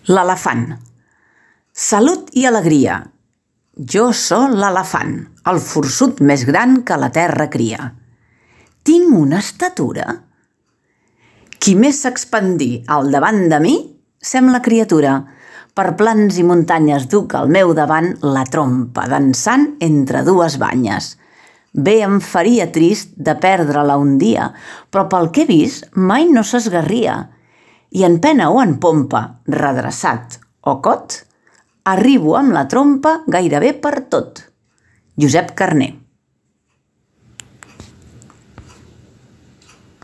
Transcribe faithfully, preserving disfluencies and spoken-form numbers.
L'elefant. Salut i alegria. Jo sóc l'elefant, el forçut més gran que la terra cria. Tinc una estatura. Qui més s'expandí al davant de mi, sembla criatura. Per plans i muntanyes duc al meu davant la trompa dansant entre dues banyes. Bé em faria trist de perdre-la un dia, però pel que he vist mai no s'esgarria. I en pena o en pompa, redreçat o cot, arribo amb la trompa gairebé per tot. Josep Carner.